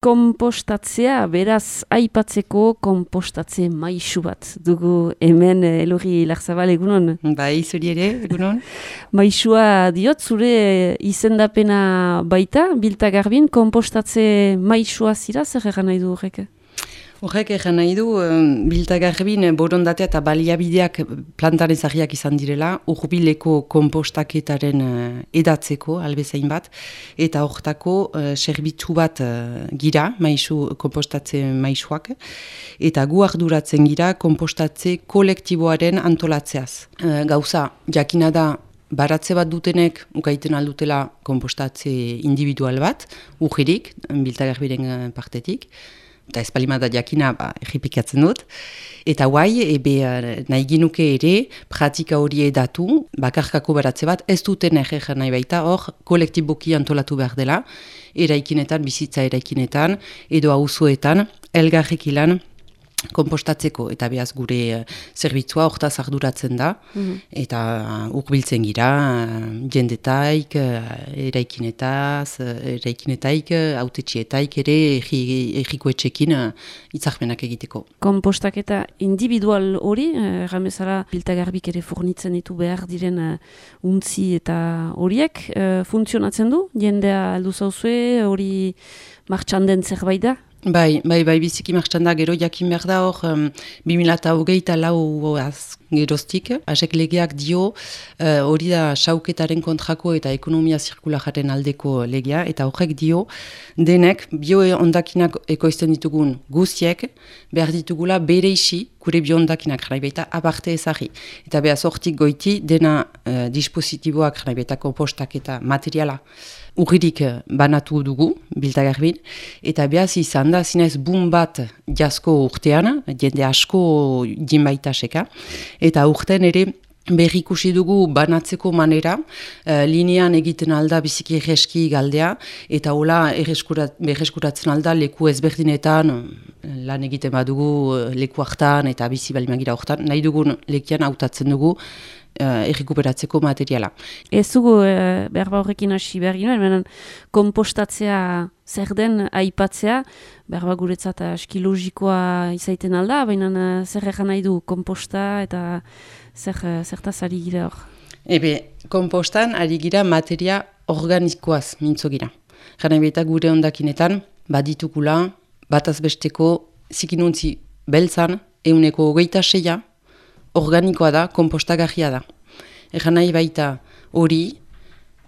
Kompostatzea, beraz, aipatzeko kompostatze maisu bat dugu hemen Elorri Larzabal, egunon? Bai, zuri ere, egunon. Maisua diot, zure izendapena baita, Bilta Garbin, kompostatze maisua zira, zer egan nahi du horrek? Horrek egan nahi du, Bilta Garbin borondatea eta baliabideak plantan ezagiak izan direla, urbileko kompostaketaren edatzeko, albezain bat, eta hortako zerbitzu bat gira, kompostatze maisuak, eta gu arduratzen gira kompostatze kolektiboaren antolatzeaz. Gauza, jakina da, baratze bat dutenek ukaiten aldutela kompostatze individual bat, urgirik, Bilta Garbiren partetik, eta espalimada jakina errepikatzen dut. Eta guai, nahi ginuke ere, pratika hori edatu, bakarkako baratze bat, ez duten egeran nahi baita, hor, kolektiboki antolatu behar dela, eraikinetan, bizitza eraikinetan, edo auzoetan, elgarrik ilan, kompostatzeko, eta behaz gure zerbitzua hortaz arduratzen da, eta urbiltzen gira, jendetaik, eraikinetaik, autetxietaik ere, errikoetxekin hitzarmenak egiteko. Kompostaketa individual hori, ramezara Bilta Garbik ere fornitzen ditu behar diren untzi eta horiek, funtzionatzen du? Jendea aldu zauzue, hori martxan den zerbait da? Bai, biziki martxan da, gero jakin behar da hor, 2024 geroztik, asek legeak dio, hori da sauketaren kontrako eta ekonomia zirkulararen aldeko legea, eta horrek dio, denek, bio-ondakinak ekoizten ditugun guztiek, behar ditugula bere isi, gure bio-ondakinak jara baita aparte ezagri. Eta behaz hortik goiti, dena dispositiboak jara baita kompostak eta materiala, urririk banatu dugu, Bilta Garbin, eta behaz izan da, zinez bun bat jasko urtean, jende asko jinbaita seka, eta urten ere berrikusi dugu banatzeko manera, linean egiten alda biziki erreski galdea, eta hola berreskuratzen alda leku ezberdinetan, lan egiten badugu leku hartan eta bizi balimagira hortan, nahi dugun lekian hautatzen dugu, errekuperatzeko materiala. Ez dugu berba horrekin hasi behar ginoen, kompostatzea zer den aipatzea, berba guretzat aski logikoa izaiten alda, baina zer egan nahi du komposta eta zertaz ari gira hor? Kompostan ari gira materia organikoaz mintzo gira. Gana eta gure ondakinetan, baditukula, bataz besteko zikinuntzi beltzan, 26% organikoa da, kompostagarria da. Egan nahi baita hori,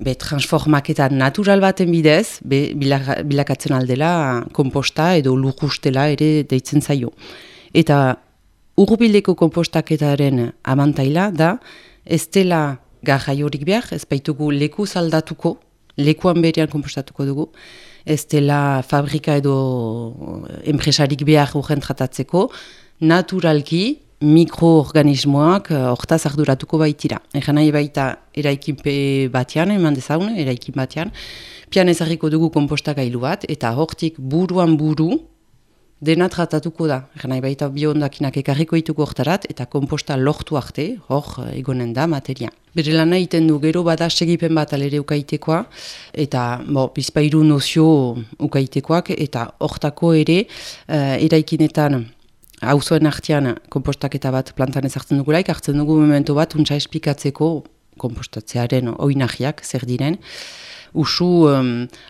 transformaketa natural baten bidez, bilakatzen aldela komposta edo lurrustela ere deitzen zaio. Eta urbileko kompostaketaren abantaila da, ez dela garraiorik behar, ez baitugu leku zaldatuko, lekuan berean kompostatuko dugu, ez dela fabrika edo enpresarik behar urgen tratatzeko, naturalki, mikroorganismoak hortaz arduratuko baitira. Egan nahi baita eraikin batean, eman dezagun, eraikin batean, pian ezarriko dugu kompostagailu bat, eta hortik buruan buru dena tratatuko da. Egan nahi baita bio-ondakinak ekarriko dituko hortarat, eta komposta lortu arte, hor egonen da materia. Bere lan egiten du, gero bada segipen bat alere ukaitekoa, eta bizpairu nozio ukaitekoak, eta hortako ere eraikinetan auzoen artean kompostaketa bat plantan ezartzen dugulaik, hartzen dugu momentu bat untsa esplikatzeko kompostatzearen oinahiak zer diren. Usu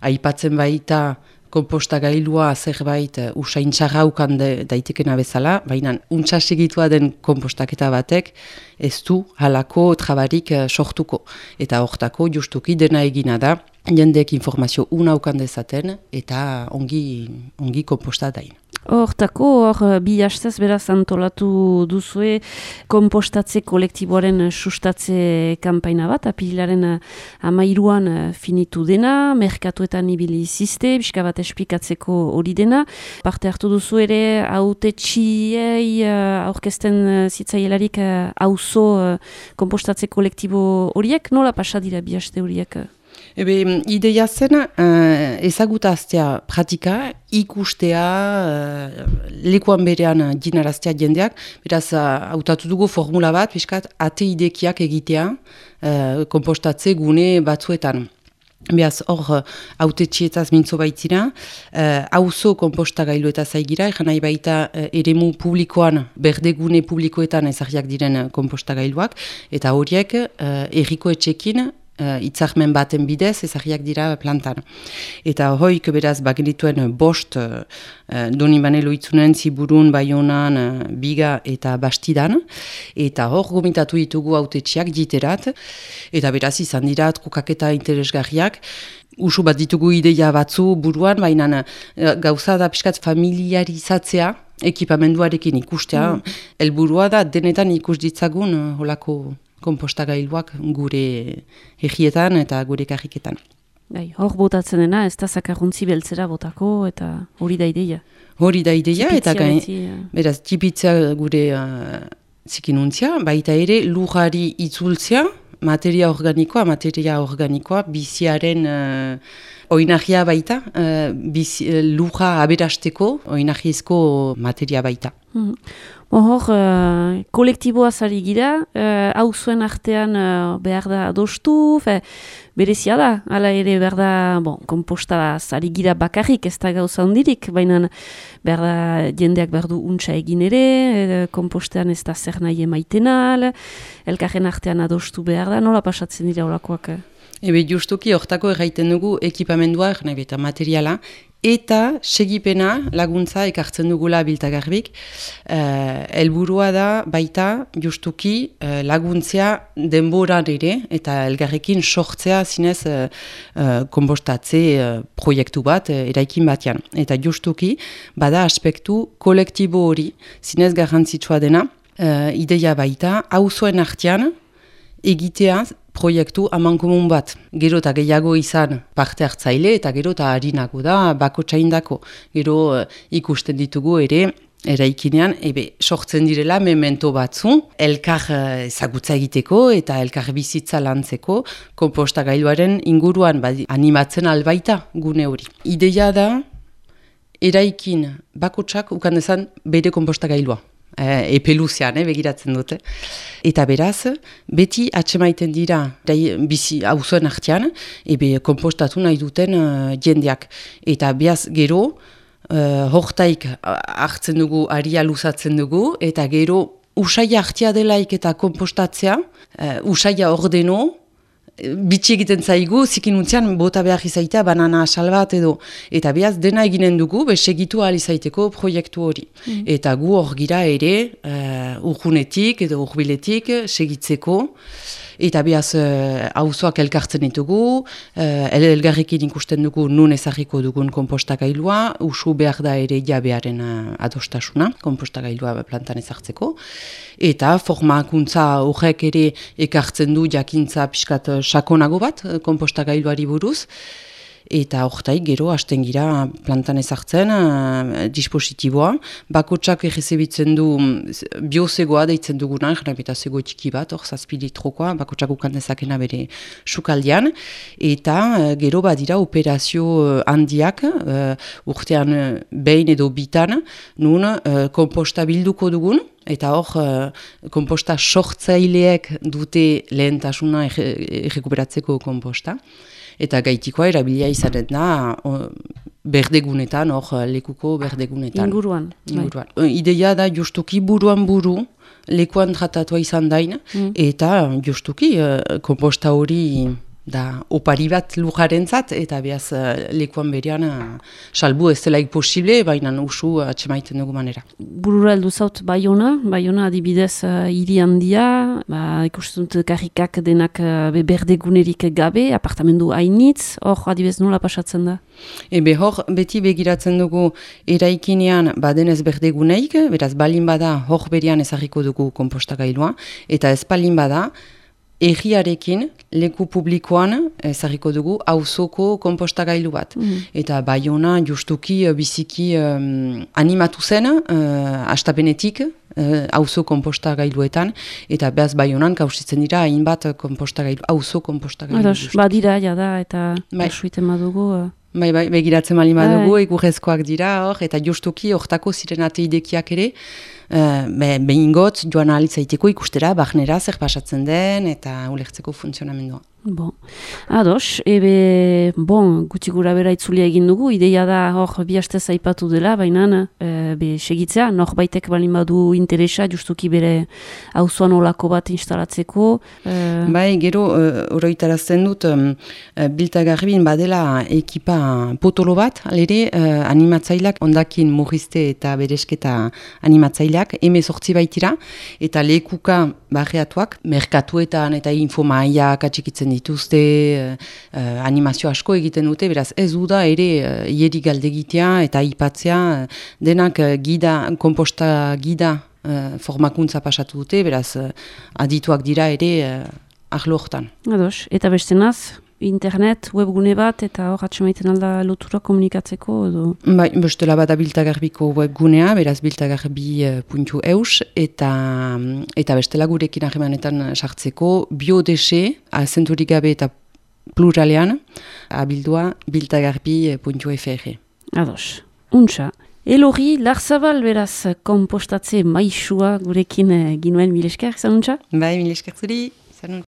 aipatzen baita kompostagailua zerbait usain txarraukan daitekena bezala, baina untsa segitua den kompostaketa batek ez du halako trabarik sortuko. Eta hortako justuki dena egina da, jendeek informazio unaukan dezaten eta ongi kompostadain. Hortako, bi hastez beraz antolatu duzue kompostatze kolektiboaren sustatze kanpaina bat, apirilaren 13an finitu dena, merkatuetan ibili izizte, pixka bat esplikatzeko hori dena. Parte hartu duzu ere, hautetxiei aurkezten zitzaielarik auzo kompostatze kolektibo horiek, nola pasa dira bi haste horiek? Ideia zen ezagutaztea pratika, ikustea, lekuan berean jinaraztea jendeak, beraz hautatu dugu formula bat, piskat ate idekiak egitea kompostatze gune batzuetan. Beaz, hor, hautetxietaz mintzo baitzira, auzo konpostagailuetaz aigira, egan nahi baita eremu publikoan, berdegune publikoetan ezarriak diren konpostagailuak, eta horiek erriko etxekin, itzarmen baten bidez ezarriak dira plantan. Eta hoik beraz bagenituen bost Donibane Loitzunen, Ziburun, Baionan, Biga eta Bastidan, eta hor gomitatu ditugu hautetxiak diterat, eta beraz izan dira kokaketa interesgarriak, usu bat ditugu ideia batzu buruan, baina gauza da pixkat familiarizatzea, ekipamenduarekin ikustea, helburua da denetan ikus ditzagun holako konpostagailuak gure egietan eta gure karriketan. Hor botatzen dena, ez da zakarruntzi beltzera botako, eta hori da ideia. Hori da ideia, eta beraz, tipitzea gure zikinuntzia, baita ere lujari itzultzea, materia organikoa, biziaren oinagia baita, luja aberasteko oinagiezko materia baita. Hor, kolektiboaz ari gira, hau zuen artean behar da adostu, berezia da, hala ere behar da, konpostaz ari gira bakarrik, ez da gauza hondirik, baina behar da jendeak behar du untsa egin ere, konpostean ez da zer nahi emaitenal, elkarren artean adostu behar da, nola pasatzen dira olakoak? Ebe justuki hortako erraiten dugu ekipamendua, nahi eta materiala, eta segipena laguntza ekartzen dugula biltagarbik. Helburua da baita justuki laguntzea denboran ere eta elgarrekin sortzea zinez konpostatze proiektu bat eraikin batean. Eta justuki bada aspektu kolektibo hori zinez garrantzitsua dena, ideia baita auzoen artean egitea proiektu amankomun bat. Gero eta gehiago izan parte hartzaile eta gero eta harinago da bakotsaindako. Gero ikusten ditugu ere eraikinean sortzen direla memento batzu, elkar ezagutza egiteko eta elkar bizitza lantzeko konpostagailuaren inguruan animatzen albaita gune hori. Ideia da eraikin bakotsak ukan dezan bere konpostagailua. Epeluzean, begiratzen dute. Eta beraz, beti atsemaiten dira bizi auzoen artean, konpostatu nahi duten jendeak. Eta beaz gero, hortaik hartzen dugu, aria luzatzen dugu, eta gero usaia artea delaik eta konpostatzea, usaia ordeno, bitxi egiten zaigu, zikinuntzean bota behar izaitea banana asal bat edo. Eta behaz dena eginen dugu, segitu ahal izaiteko proiektu hori. Eta gu hor gira ere, urgunetik edo urbiletik segitzeko. Eta behaz auzoak elkartzen ditugu, elgarrekin ikusten dugu nun ezarriko dugun konpostagailua, usu behar da ere jabearen adostasuna, konpostagailua plantan ezartzeko. Eta formakuntza horrek ere ekartzen du jakintza pixkat sakonago bat konpostagailuari buruz. Eta hortaik gero hasten gira plantan ezartzen dispositiboa. Bakotsak errezebitzen du biozegoa deitzen duguna, eta zego txiki bat, hor 7 litrokoa, bakotsak ukandezakena bere sukaldean. Eta gero badira operazio handiak, urtean behin edo bitan, nun komposta bilduko dugun. Eta hor, komposta sortzaileek dute lehentasuna errekuperatzeko komposta. Eta gaitikoa erabilia izanen da berdegunetan, hor lekuko berdegunetan. Inguruan. Ideia da justuki buruan buru, lekuan tratatua izan dain, eta justuki komposta hori da opari bat lujarentzat, eta behaz lekuan berean salbu ez delaik posible, baina usu atsemaiten dugu manera. Burura heldu zaut Baiona adibidez hiri handia, ikusten dut karrikak denak berdegunerik gabe, apartamendu hainitz, hor adibidez nola pasatzen da? Hor beti begiratzen dugu eraikinean badenez berdeguneik, beraz balin bada hor berean ezarriko dugu konpostagailua, eta ez balin bada, egiarekin leku publikoan ezarriko dugu auzoko konpostagailu bat. Eta Baiona justuki biziki animatu zen hastapenetik auzo konpostagailuetan, eta behaz Baionan kausitzen dira hainbat auzo konpostagailu. Badira, jada, eta suiten badugu. Bai, begiratzen bali badugu, egurrezkoak dira hor, eta justuki hortako ziren ateidekiak ere, behin gotz joan ahalitzaiteko ikustera, barnera zer pasatzen den eta ulertzeko funtzionamendua. Bon. Ados, gutxi gura bera itzulia egin dugu, ideia da hor bi hastez aipatu dela, baina segitzea, norbaitek balin badu interesa, justuki bere auzoan olako bat instalatzeko. Bai, gero, oroitarazten dut, Biltagarbin badela ekipa potolo bat, alere animatzaileak, ondakin murrizte eta beresketa animatzaileak, 18 baitira, eta lekuka barriatuak, merkatuetan eta infomaiak atxikitzen dituzte, animazio asko egiten dute, beraz ez da ere ieri galdegitea eta aipatzea denak komposta gida formakuntza pasatu dute, beraz adituak dira ere arlo hortan. Ados, eta bestenaz, internet, webgune bat, eta hor atxemaiten alda lotura komunikatzeko, edo? Bai, bestela bat Biltagarbiko webgunea, beraz biltagarbi.eus, eta bestela gurekin harremanetan sartzeko biodese, azenturik gabe eta pluralean, abildua biltagarbi.fr. Ados, untxa. Elorri, Larzabal beraz kompostatze maisua gurekin ginuen, mil esker, zanuntza? Bai, mil esker zuri, zanun.